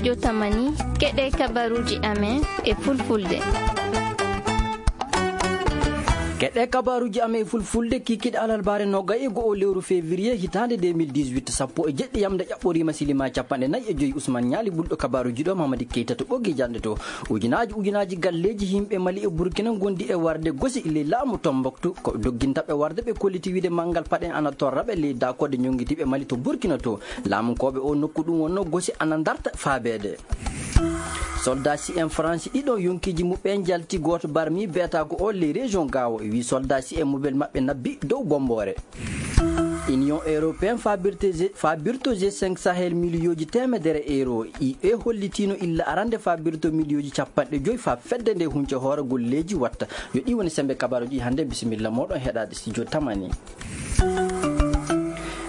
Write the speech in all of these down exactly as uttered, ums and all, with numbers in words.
Yo tamani, keɗe kabaruji amen e fulfulde. Keɗe kabaruji amen e fulfulde, kikiɗe alalbare nogay e go'o lewru février hitande deux mille dix-huit, sappo e jeɗɗi yamde ƴaɓɓorima silima capanɗe nayi e joyi. Usman Ñaali ɓulɗo kabaruji ɗo, Mamadi Keita to ɓoggi janɗe to. Ujunaji, ujunaji galleji yimɓe Mali e Burkina gondi e warde gosi le laamu Tombouctou. Ko doggintaɓe warde ɓe kolliti wiide manngal paɗen ana torra ɓe ley dakorde ñonngitiiɓe Mali to Burkina to. Laamu koɓe o nokku ɗum wonno gosi ana darta faabeede. Soldat si en Faransi ɗiɗo yonkiji muɓɓen jalti, gooto barmi beeta ko o ley région Gao. E wi soldat si en mobel maɓɓe nabbi dow bombore. Union européen fabirto G, fabirto G cinq Sahel miliyooji teemedere euro. I E hollitino illa arande fabirto miliyooji capanɗe joyi fa fedde nde hunce hoore golleji watta. Yo ɗi woni sembe kabaruji hande. Bisimilla moɗon heɗade studio tamani.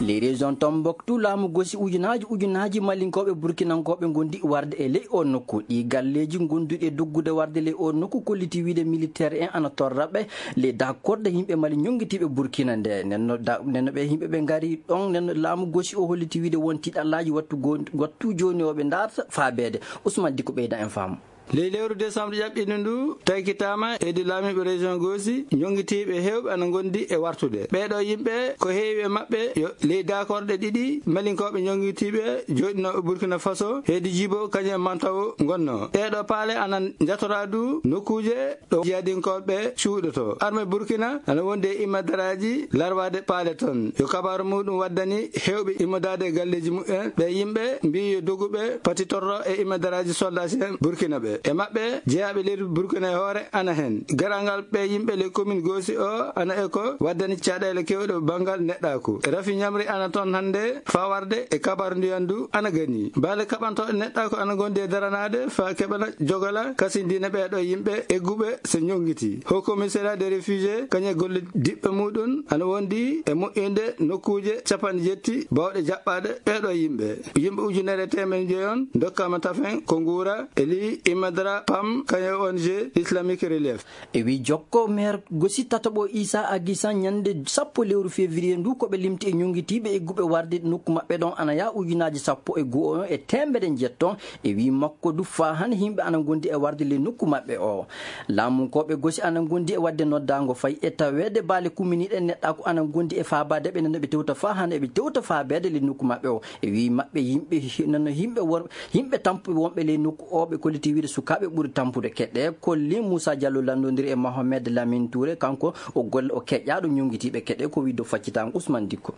Les régions Tombouctou, laamu gosi ujunaji ujunaji Malinkoɓe Burkinankoɓe gondi warde e ley o nokku. Ɗi galleji gonduɗi e doggude warde ley o nokku kolliti wiide militaire en ana torra ɓe le dakorde yimɓe Mali ñonngitiiɓe Burkina nde. Nenno da-, nenno ɓe yimɓe ɓe ngari ɗon, nenno laamu gosi o holliti wiide won tiɗallaji wattu go-, wattu joni o ɓe darta faabeede. Ousmane Dicko ɓeyda en faamu. Ley lewru décembre ƴaɓɓiɗo ndu, taykitaama hedi laamiiɓe région Gosi, ñonngitiiɓe heewɓe ana ngondi e wartude. Ɓeeɗo yimɓe, ko heewi e maɓɓe yo ley daakorɗe ɗiɗi, Malinkoɓe ñonngitiiɓe jooɗinooɓe Burkina Faso, hedi Jibo, kañum e Mantawo ngonnoo. Ɗeeɗo paale ana njatoraa du nokkuuje ɗo jihadinkoɓe cuuɗoto. Arme Burkina ana wondi e immadaraaji larwaade paale ton. Yo kabaaru muɗum waddani heewɓe immadaade e galleeji muɓɓen. Ɓe yimɓe mbii yo doguɓe patitorro e immadaraaji soldat si en Burkina ɓe. E maɓɓe jeyaaɓe leydi Burkina e hoore ana hen. Garangal ɓe yimɓe le commune Gosi o ana e ko waddani caɗeele kewɗe banngal neɗɗaaku. Rafi ñamri ana ton hannde fawarde e kabaaru ndiyan du ana gani. Baale kaɓantooɗe neɗɗaaku ana ngondi e daranaade fa keɓana jogala kasindina ɓeeɗo yimɓe egguɓe so ñonngiti. Haut Commissariat des Réfugiés, kañum e golle diɓɓe muɗum, ana wondi e moƴƴinde nokkuuje capanɗe jetti bawɗe jaɓɓaade ɓeeɗo yimɓe. Yimɓe ujunere e teemedde joyi on ndokkaama tafen ko nguura e ley Imadara Pam, kañum e O N G Islamic Relief. E wi jokko, maire Gosi tataɓo Issa Aguissan ñande sappo lewru février ndu, ko ɓe limti e ñonngitiiɓe egguɓe warde nokku maɓɓe ɗon ana yaa ujunaaji sappo e go'o e teemedde njetton. E wi makko du faa hannde yimɓe ana ngondi e warde le nokku maɓɓe o. Laamunkooɓe Gosi ana ngondi e wadde noddaango fay e taweede baale kumminiiɗe neɗɗaaku ana ngondi e faabaade ɓe, nano ɓe tewta faa hannde eɓe tewta faabeede le nokku maɓɓe o. E wi maɓɓe yimɓe, nano yimɓe wor-, yimɓe tampuɓe wonɓe ley nokku o ɓe kolliti wiide sukaaɓe ɓuri tampude. Keɗe kolli Moussa Diallo lanndondiri e Mohamed Lamine Touré, kanko o golle o keƴƴaaɗo ñonngitiiɓe keɗe ko wiide faccitaango Ousmane Dicko.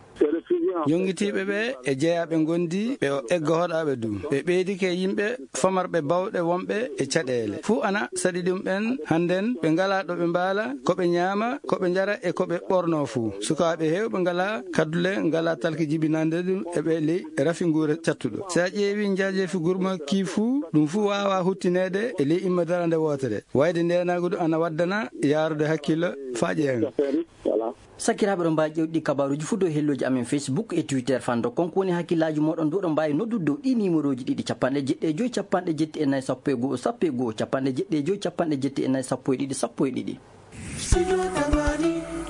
Ñonngitiiɓe ɓe e jeyaaɓe ngondi ɓe o egga hoɗaaɓe du. Ɓe ɓeydike yimɓe famarɓe bawɗe wonɓe e caɗeele. Fuu ana saɗi ɗum ɓen hannden ɓe ngalaa ɗo ɓe mbaala, ko ɓe ñaama, ko ɓe njara e ko ɓe ɓornoo fuu. Sukaaɓe heewɓe ngalaa kaddule, ngalaa talki jibinande ɗum e ɓe ley rafi nguure cattuɗo. Si a ƴeewi njaajeefi gurma ki fuu, ɗum fuu waawaa huttineede e ley imma darande wootere. Wayde ndeenaagu du ana waddana yaarude hakkillo faa ƴeeŋa. Sakiraaɓe, ɗo mbaawi ƴeewde ɗi kabaaruuji fuu dow helloji amen Facebook e Twitter. Fando kon ko woni hakkillaaji mooɗon dow, ɗo mbaawi noddude dow ɗi numéroji ɗiɗi, capanɗe jeɗɗi e joy, capanɗe jeɗɗi e nayi, sappo e go'o, sappo e go'o, capanɗe jeɗɗi e joy, capanɗe jeɗɗi e nayi, sappo e ɗiɗi, sappo e ɗiɗi.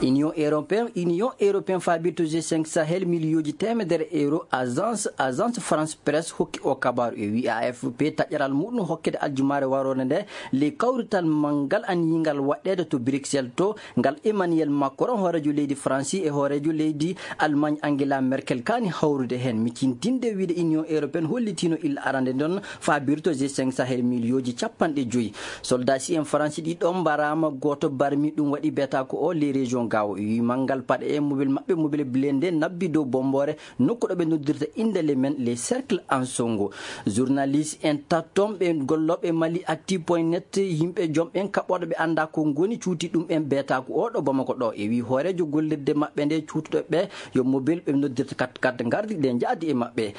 Union Européen, Union Européen fabirto G cinq Sahel miliyooji teemedere euro, agence, agence France Presse hokki o kabaaru e wi A F P taƴaral muɗum hokkede aljumaare waroore nde ley kawrital manngal aniyingal waɗɗeede to Bruxelles to, ngal Emmanuel Macron, hooreejo leydi Faransi, e hooreejo leydi Allemagne, Angela Merkel, kaani hawrude heen. Micintinde wiide Union Européenne hollitiino illa arande ndon fabirto G cinq Sahel miliyooji capanɗe joyi. Soldat si en Faransi ɗiɗo mbaraama, gooto barmi, ɗum waɗi beeta ko o les régions Gao. Wi manngal paɗe e mobile maɓɓe, mobile blindé, nabbi dow bombore nokku ɗo ɓe noddirta innde le men, les cercles en Songo. Journaliste en tatton ɓe gollooɓe Mali Actu point net, yimɓe joom ɓen kaɓɓooɗo ɓe annda ko ngoni cuuti ɗum en beeta ko oɗo Bamako ɗo. E wi hooreejo gollirde maɓɓe nde cuutuɗo ɓe yo mobile ɓe noddirta kat kat ngardi ɗe njaadi e maɓɓe.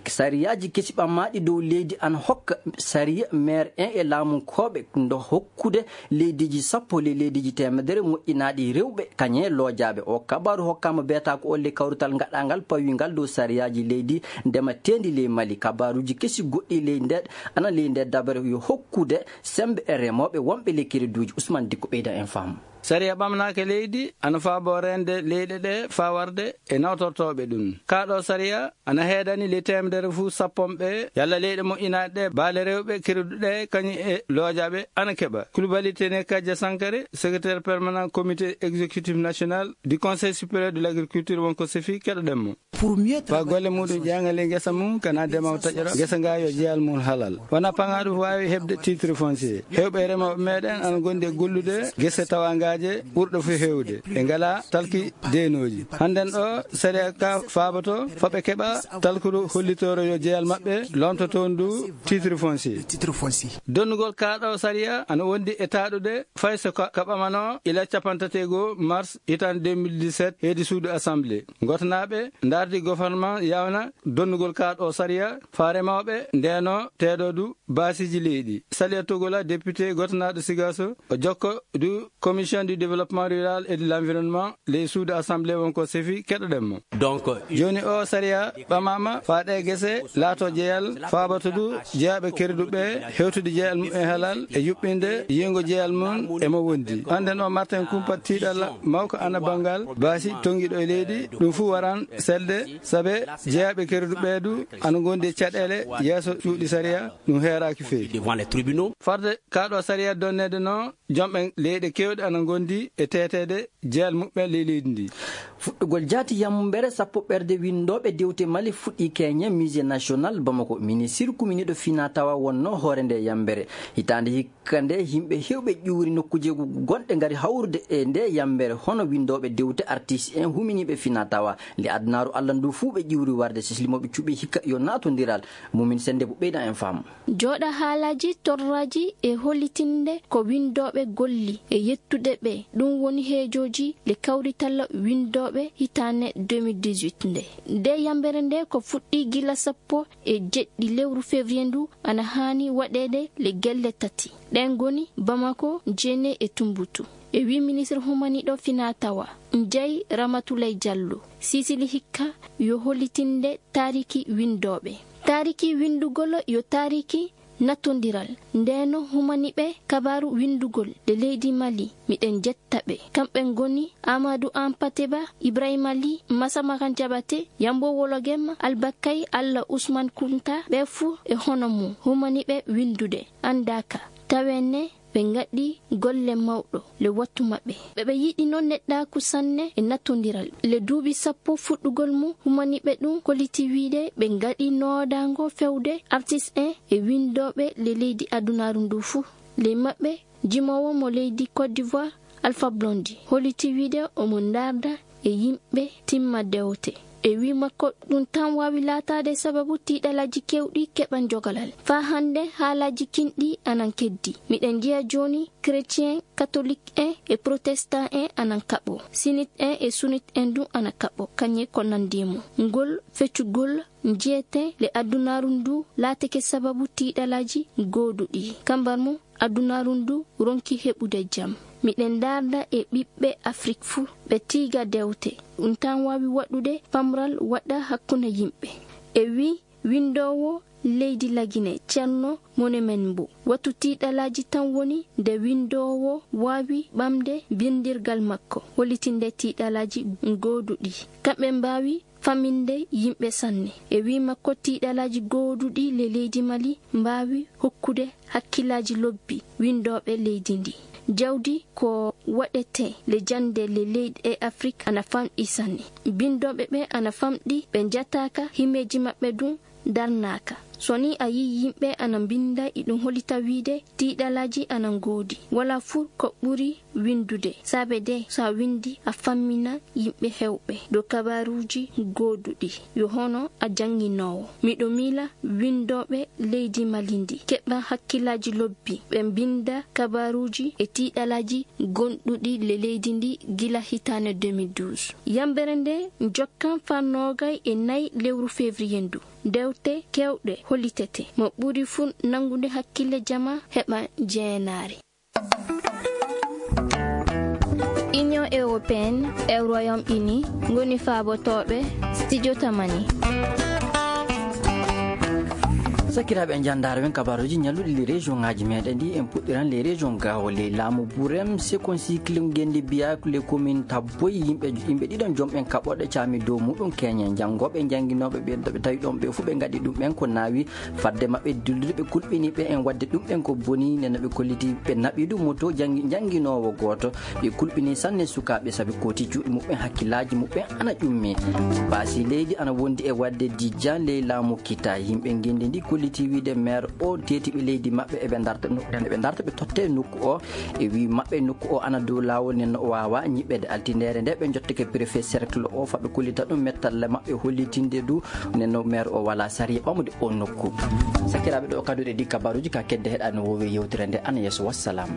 Sariyaaji kesi ɓammaaɗi dow leydi ana hokka sariya maire en e laamunkooɓe ndo hokkude leydiiji sappo ley leydiiji teemedere moƴƴinaaɗi rewɓe kañe loojaaɓe. O kabaaru hokkaama beeta ko olle kawrital ngaɗaangal pawiingal dow sariyaaji leydi ndemateendi ley Mali. Kabaaruuji kesi goɗɗi ley nde, ana ley nde dabere yo hokkude semmbe e remooɓe wonɓe ley kereduuji. Ousmane Dikko ɓeyda en faamu. Sariya ɓamnaaka leydi ana faabo reende leyɗe ɗe faa warde e nawtortooɓe ɗum. Kaa ɗoo sariya ana heedani ley teemedere fuu sappo ɓe yalla leyɗe moƴƴinaaɗe ɗe baale rewɓe keruɗe ɗe kañum e loojaaɓe ana keɓa. Kulbali Teneka Jasankare, secrétaire permanent comité exécutif national du Conseil supérieur de l'agriculture, wonko sefi, keɗoɗen mo. Faa golle muɗum ƴeeŋa ley ngesa mum, kana demaw taƴora ngesa nga yo jeyal mum halal. Wona paŋaaɗo waawi heɓde titre foncier. Heewɓe remooɓe meɗen ana ngondi e gollude gese tawangaaje ɓurɗo fof heewde. Ɓe ngala talki deenooji. Hannden ɗo sariya ka faaboto faa ɓe keɓa talkuru hollitooro yo jeyal maɓɓe lomtoto ndu titre foncier. Donnugol kaa ɗo sariya ana wondi e taaɗude fay so ka, ka ɓamano ila capanɗe tati e goo mars hitaande deux mille dix-sept heedi suudu assemblée. Ngotanaaɓe ndaardi gouvernement yawna donnugol kaa ɗo sariya faa remooɓe ndeeno teedo du baasiiji leydi. Saliya Togola, député gotanaaɗo Sigaso, o jokko du commission du développement rural et de l'environnement ley suudu assemblée, wonko sefi, keɗoɗen mo. Donc, jooni o sariya ɓamaama faa ɗe gese laato jeyal faaboto du jeyaaɓe keruɗuɓe hewtude jeyal mum e halal e yuɓɓinde yiygo jeyal mum e mo wondi. Hannden o Martin Kumpa tiiɗalla mawko ana banngal baasi tongiɗo e leydi. Ɗum fuu waran selde sabe jeyaaɓe keruɗuɓe du ana ngondi e caɗeele yeeso cuuɗi sariya ɗum heeraaki feewi. Devant les tribunaux. Farde kaa ɗo sariya donneede no jomɓe leyɗe keewɗe ana ngondi e teeteede jeyal muɓɓen ley leydi ndi. Fuɗɗugol jaati yambere sappo ɓerde winndooɓe dewte Mali fuɗɗii keñe Musée National Bamako. Ministir kuminiiɗo fina tawa wonno hoore nde yambere. Hitaande hikka nde yimɓe heewɓe ƴuuri nokkuuje gonɗe ngari hawrude e nde yambere, hono winndooɓe dewte, artiste en, huminiiɓe fina tawa. Nde adunaaru Allah ndu fuu ɓe ƴuuri warde, sislimooɓe cuɓi hikka yo naatondiral. Mumin Sennde bu ɓeyda en faamu. Jooɗa haalaaji, torraaji e hollitinde ko winndooɓe golli e yettude ɓe, ɗum woni heejooji le kawritalla winndooɓe hitaande deux mille dix-huit nde. Nde yambere nde ko fuɗɗi gila sappo e jeɗɗi lewru février ndu ana haani waɗeede le gelle tati. Ɗen ngoni Bamako, Djéné e Tumboutu. E wi ministre humaniiɗo fina tawa, Ndiaye Ramatoulaye Diallo, sisili hikka yo hollitinde taariki winndooɓe. Taariki winndugol yo taariki nattondiral. Ndeno humaniiɓe kabaaru winndugol le leydi Mali, miɗen jetta ɓe. Kamɓe ngoni Amadou Ampateba, Ibrahima Ly, Massamakan Diabaté, Yambo Wologem, Albakay, Allah Ousmane Kounta, ɓe fuu e hono mum humaniiɓe winndude anndaaka. Tawenne ɓe ngaɗi golle mawɗo le wattu maɓɓe. Ɓe, ɓe yiɗino neɗɗaaku sanne e nattondiral. Le duuɓi sappo fuɗɗugol mum, humaniiɓe ɗum kolliti wiide ɓe ngaɗi noodaango fewde artiste en e winndooɓe le leydi adunaaru ndu fuu. Ley maɓɓe, jimoowo mo leydi Côte d'Ivoire, Alpha Blondy, holliti wiide omo ndaarda e yimɓe timma dewte. E wi makko, ɗum tan waawi laataade sababu tiiɗalaaji keewɗi keɓan jogalal. Faa hannde haalaaji kinɗi anan keddi. Miɗen njiya jooni chrétien, catholique en e protestant en anan kaɓo. Sinit en e sunit en du ana kaɓo. Kañe ko nanndi e mum. Ngol feccugol njiyeten le adunaaru ndu laatake sababu tiiɗalaaji gooduɗi. Kambar mum, adunaaru ndu ronki heɓude jam. Miɗen ndaarda e ɓiɓɓe Afrik fuu, ɓe tiiga dewte. Ɗum tan waawi waɗude pamral waɗa hakkunde yimɓe. E wi winndoowo leydi Lagine, Ceerno Monemen Mbo, wattu tiiɗalaaji tan woni nde winndoowo waawi ɓamde binndirgal makko, hollitinde tiiɗalaaji gooduɗi. Kamɓe mbaawi faminde yimɓe sanne. E wi makko, tiiɗalaaji gooduɗi le leydi Mali mbaawi hokkude hakkillaaji lobbi winndooɓe leydi ndi. Jawdi ko waɗetee le jannde le leyɗe Afrik ana famɗi sanne. Binndooɓe ɓe ana famɗi, ɓe njataaka, himeeji maɓɓe ɗum darnaaka. So ni a yii yimɓe ana mbinnda, iɗum hollita wiide tiiɗalaaji ana ngoodi. Wala fuu ko ɓuri winndude, saabe de so a winndi a fammina yimɓe heewɓe dow kabaaruuji gooduɗi, yo hono a jannginoowo. Miɗo miila winndooɓe leydi Mali ndi keɓa hakkillaaji lobbi, ɓe mbinnda kabaaruuji e tiiɗalaaji gonɗuɗi le leydi ndi gila hitaande deux mille douze. Yambere nde jokkan faa noogay e nayi lewru février ndu. Dewte keewɗe hollitete. Mo ɓuri fuu nanngude hakkille jama heɓa jeenaari. Union européenne e Royaume-Uni ngoni faabotooɓe Studio Tamani. Sakiraaɓe, en njanndaare wen kabaaruuji ñalluɗi les région ŋaaji meɗen ɗi. En puɗɗiran les région gawo les laamu burem seconde cycle ngendi biya les commune tabboy yimɓe yimɓe ɗiɗon joom ɓen kaɓɓoɗe caami dow muɗum keñe janngooɓe jannginooɓe ɓe ɓe tawi ɗon ɓe fof ɓe ngaɗi ɗum ɓen ko naawi fadde maɓɓe dillude ɓe kulɓini ɓe en wadde ɗum ɓen ko boni nena ɓe kolliti ɓe naɓi ɗum moto janngi jannginoowo gooto. Ɓe kulɓini sanne sukaaɓe sabi kooti juuɗe muɓɓen hakkillaaji muɓɓen ana ƴummi. Baasi leydi ana wondi e waɗde dijjan ley laamu kita. Yimɓe ngenndi ndi kolliti wiide maire o teetiɓe leydi maɓɓe eɓe darta no- eɓe darta ɓe totte nokku o. E wi maɓɓe nokku o ana dow laawol nen no o waawa ñiɓɓede altindere nde ɓe jottake préfet cercle o faɓe kollita ɗum mettalle maɓɓe hollitinde du nen no maire o wala sariya ɓamude o nokku. Sakiraaɓe ɗo kaduɗe ɗi kabaruji ka kedde heɗa no wowi yewtere nde ana yeeso wassalam.